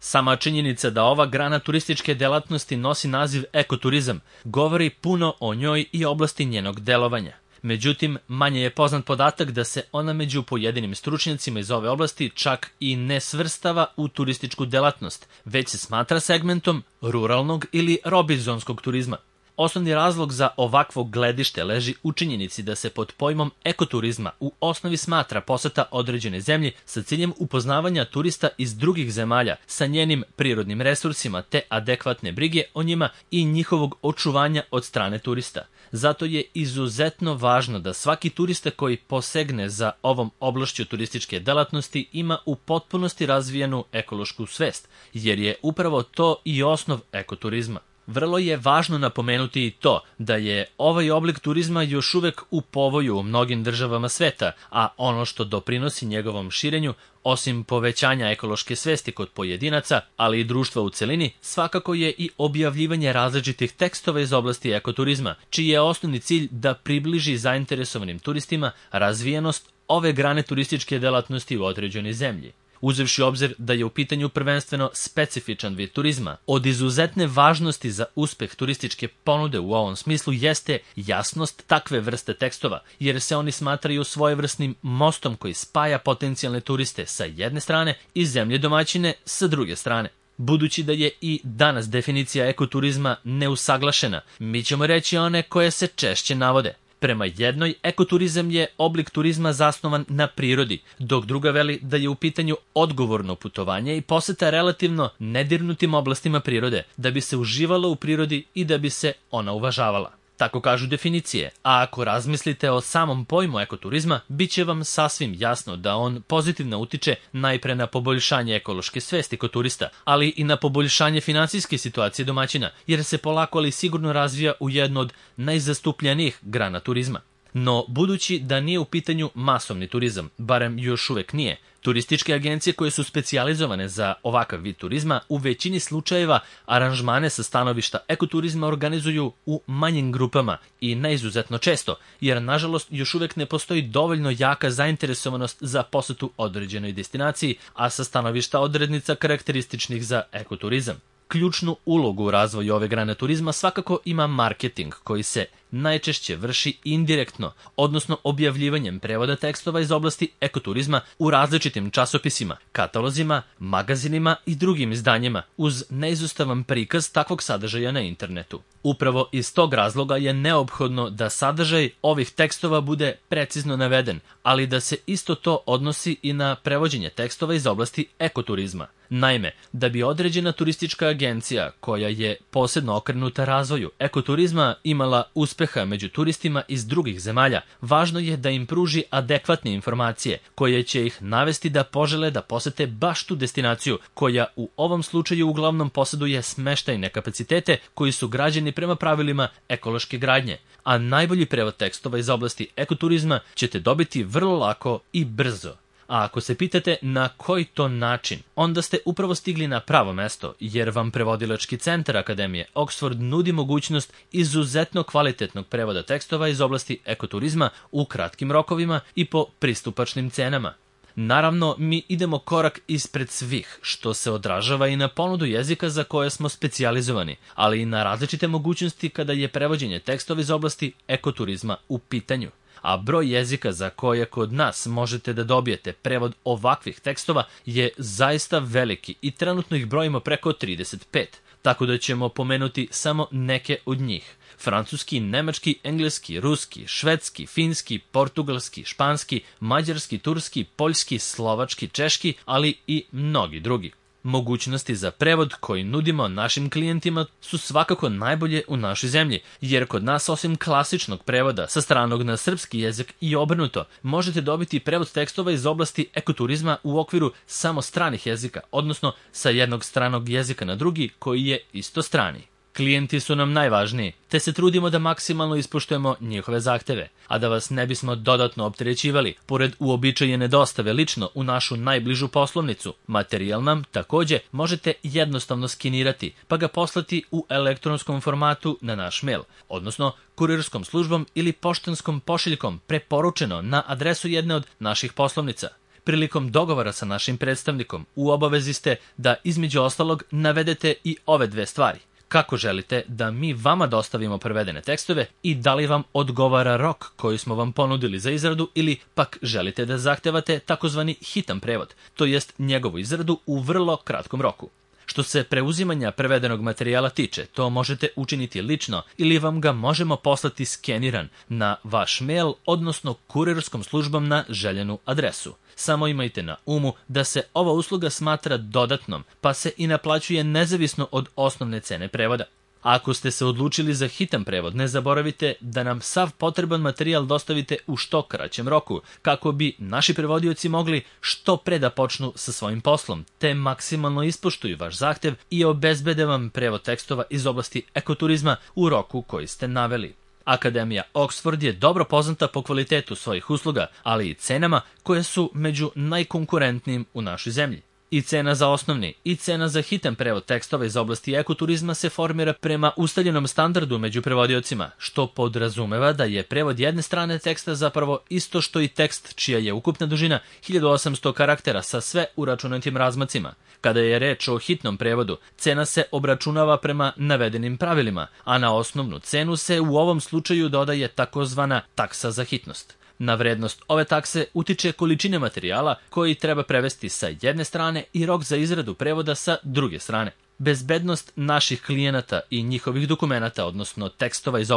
Sama činjenica da ova grana turističke delatnosti nosi naziv ekoturizam govori puno o njoj i oblasti njenog delovanja. Međutim, manje je poznat podatak da se ona među pojedinim stručnjacima iz ove oblasti čak i ne svrstava u turističku delatnost, već se smatra segmentom ruralnog ili robinzonskog turizma. Osnovni razlog za ovakvo gledište leži u činjenici da se pod pojmom ekoturizma u osnovi smatra poseta određene zemlji sa ciljem upoznavanja turista iz drugih zemalja sa njenim prirodnim resursima te adekvatne brige o njima i njihovog očuvanja od strane turista. Zato je izuzetno važno da svaki turista koji posegne za ovom oblašću turističke delatnosti ima u potpunosti razvijenu ekološku svest, jer je upravo to i osnov ekoturizma. Vrlo je važno napomenuti i to da je ovaj oblik turizma još uvek u povoju u mnogim državama sveta, a ono što doprinosi njegovom širenju, osim povećanja ekološke svesti kod pojedinaca, ali i društva u celini, svakako je i objavljivanje različitih tekstova iz oblasti ekoturizma, čiji je osnovni cilj da približi zainteresovanim turistima razvijenost ove grane turističke delatnosti u određenoj zemlji. Uzevši obzir da je u pitanju prvenstveno specifičan vid turizma, od izuzetne važnosti za uspeh turističke ponude u ovom smislu jeste jasnost takve vrste tekstova, jer se oni smatraju svojevrsnim mostom koji spaja potencijalne turiste sa jedne strane i zemlje domaćine sa druge strane. Budući da je i danas definicija ekoturizma neusaglašena, mi ćemo reći one koje se češće navode. Prema jednoj, ekoturizam je oblik turizma zasnovan na prirodi, dok druga veli da je u pitanju odgovorno putovanje i poseta relativno nedirnutim oblastima prirode, da bi se uživalo u prirodi i da bi se ona uvažavala. Tako kažu definicije, a ako razmislite o samom pojmu ekoturizma, bit će vam sasvim jasno da on pozitivno utiče najpre na poboljšanje ekološke svesti kod turista, ali i na poboljšanje finansijske situacije domaćina, jer se polako ali sigurno razvija u jednu od najzastupljenijih grana turizma. No, budući da nije u pitanju masovni turizam, barem još uvek nije, turističke agencije koje su specijalizovane za ovakav vid turizma u većini slučajeva aranžmane sa stanovišta ekoturizma organizuju u manjim grupama i neizuzetno često, jer nažalost još uvek ne postoji dovoljno jaka zainteresovanost za posetu određenoj destinaciji, a sa stanovišta odrednica karakterističnih za ekoturizam. Ključnu ulogu u razvoju ove grane turizma svakako ima marketing, koji se najčešće vrši indirektno, odnosno objavljivanjem prevoda tekstova iz oblasti ekoturizma u različitim časopisima, katalozima, magazinima i drugim izdanjima, uz neizostavan prikaz takvog sadržaja na internetu. Upravo iz tog razloga je neophodno da sadržaj ovih tekstova bude precizno naveden, ali da se isto to odnosi i na prevođenje tekstova iz oblasti ekoturizma. Naime, da bi određena turistička agencija, koja je posebno okrenuta razvoju ekoturizma, imala uspeha među turistima iz drugih zemalja, važno je da im pruži adekvatne informacije koje će ih navesti da požele da posete baš tu destinaciju, koja u ovom slučaju uglavnom posjeduje smeštajne kapacitete koji su građeni prema pravilima ekološke gradnje, a najbolji prevod tekstova iz oblasti ekoturizma ćete dobiti vrlo lako i brzo. A ako se pitate na koji to način, onda ste upravo stigli na pravo mesto, jer vam prevodilački centar Akademije Oxford nudi mogućnost izuzetno kvalitetnog prevoda tekstova iz oblasti ekoturizma u kratkim rokovima i po pristupačnim cenama. Naravno, mi idemo korak ispred svih, što se odražava i na ponudu jezika za koje smo specijalizovani, ali i na različite mogućnosti kada je prevođenje tekstova iz oblasti ekoturizma u pitanju. A broj jezika za koje kod nas možete da dobijete prevod ovakvih tekstova je zaista veliki i trenutno ih brojimo preko 35, tako da ćemo pomenuti samo neke od njih. Francuski, nemački, engleski, ruski, švedski, finski, portugalski, španski, mađarski, turski, poljski, slovački, češki, ali i mnogi drugi. Mogućnosti za prevod koji nudimo našim klijentima su svakako najbolje u našoj zemlji, jer kod nas osim klasičnog prevoda sa stranog na srpski jezik i obrnuto, možete dobiti prevod tekstova iz oblasti ekoturizma u okviru samo stranih jezika, odnosno sa jednog stranog jezika na drugi koji je isto strani. Klijenti su nam najvažniji, te se trudimo da maksimalno ispoštujemo njihove zahteve, a da vas ne bismo dodatno opterećivali, pored uobičajene dostave lično u našu najbližu poslovnicu, materijal nam takođe možete jednostavno skenirati, pa ga poslati u elektronskom formatu na naš mail, odnosno kurirskom službom ili poštanskom pošiljkom preporučeno na adresu jedne od naših poslovnica. Prilikom dogovora sa našim predstavnikom u obavezi ste da između ostalog navedete i ove dve stvari. Kako želite da mi vama dostavimo prevedene tekstove i da li vam odgovara rok koji smo vam ponudili za izradu ili pak želite da zahtevate takozvani hitan prevod, to jest njegovu izradu u vrlo kratkom roku. Što se preuzimanja prevedenog materijala tiče, to možete učiniti lično ili vam ga možemo poslati skeniran na vaš mail, odnosno kurirskom službom na željenu adresu. Samo imajte na umu da se ova usluga smatra dodatnom, pa se i naplaćuje nezavisno od osnovne cene prevoda. Ako ste se odlučili za hitan prevod, ne zaboravite da nam sav potreban materijal dostavite u što kraćem roku, kako bi naši prevodioci mogli što pre da počnu sa svojim poslom, te maksimalno ispoštuju vaš zahtev i obezbede vam prevod tekstova iz oblasti ekoturizma u roku koji ste naveli. Akademija Oxford je dobro poznata po kvalitetu svojih usluga, ali i cenama koje su među najkonkurentnijim u našoj zemlji. I cena za osnovni i cena za hitan prevod tekstova iz oblasti ekoturizma se formira prema ustaljenom standardu među prevodiocima, što podrazumeva da je prevod jedne strane teksta zapravo isto što i tekst čija je ukupna dužina 1800 karaktera sa sve uračunatim razmacima. Kada je reč o hitnom prevodu, cena se obračunava prema navedenim pravilima, a na osnovnu cenu se u ovom slučaju dodaje takozvana taksa za hitnost. Na vrednost ove takse utiče količine materijala koji treba prevesti sa jedne strane i rok za izradu prevoda sa druge strane. Bezbednost naših klijenata i njihovih dokumenata, odnosno tekstova iz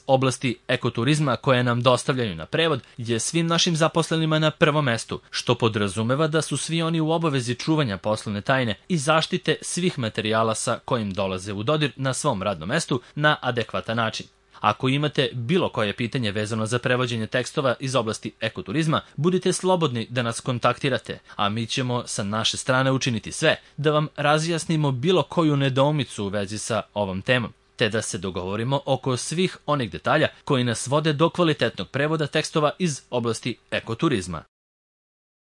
oblasti ekoturizma, koje nam dostavljaju na prevod, je svim našim zaposlenima na prvom mestu, što podrazumeva da su svi oni u obavezi čuvanja poslovne tajne i zaštite svih materijala sa kojim dolaze u dodir na svom radnom mestu na adekvatan način. Ako imate bilo koje pitanje vezano za prevođenje tekstova iz oblasti ekoturizma, budite slobodni da nas kontaktirate, a mi ćemo sa naše strane učiniti sve da vam razjasnimo bilo koju nedoumicu u vezi sa ovom temom, te da se dogovorimo oko svih onih detalja koji nas vode do kvalitetnog prevoda tekstova iz oblasti ekoturizma.